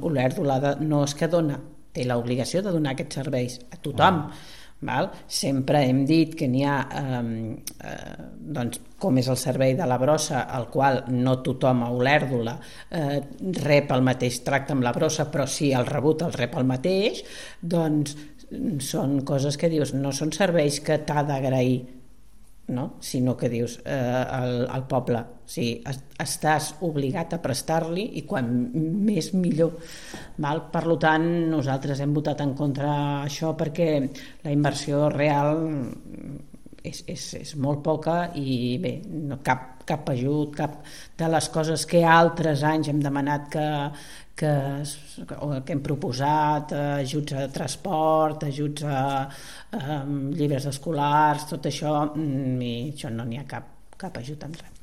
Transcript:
Olèrdola no és que dona, té l'obligació de donar aquests serveis a tothom. Val? Sempre hem dit que n'hi ha doncs, com és el servei de la brossa, al qual no tothom a Olèrdola rep el mateix tracte amb la brossa, però si el rebut el rep el mateix, doncs són coses que dius, no són serveis que t'ha d'agrair, no? Sinó que dius al poble, estàs obligat a prestar-li i quan més millor. Val? Per tant, nosaltres hem votat en contra això perquè la inversió real és molt poca i bé, no, cap ajut, cap de les coses que altres anys hem demanat que hem proposat, ajuts a transport, ajuts a llibres escolars, tot això, i això no n'hi ha cap ajut en res.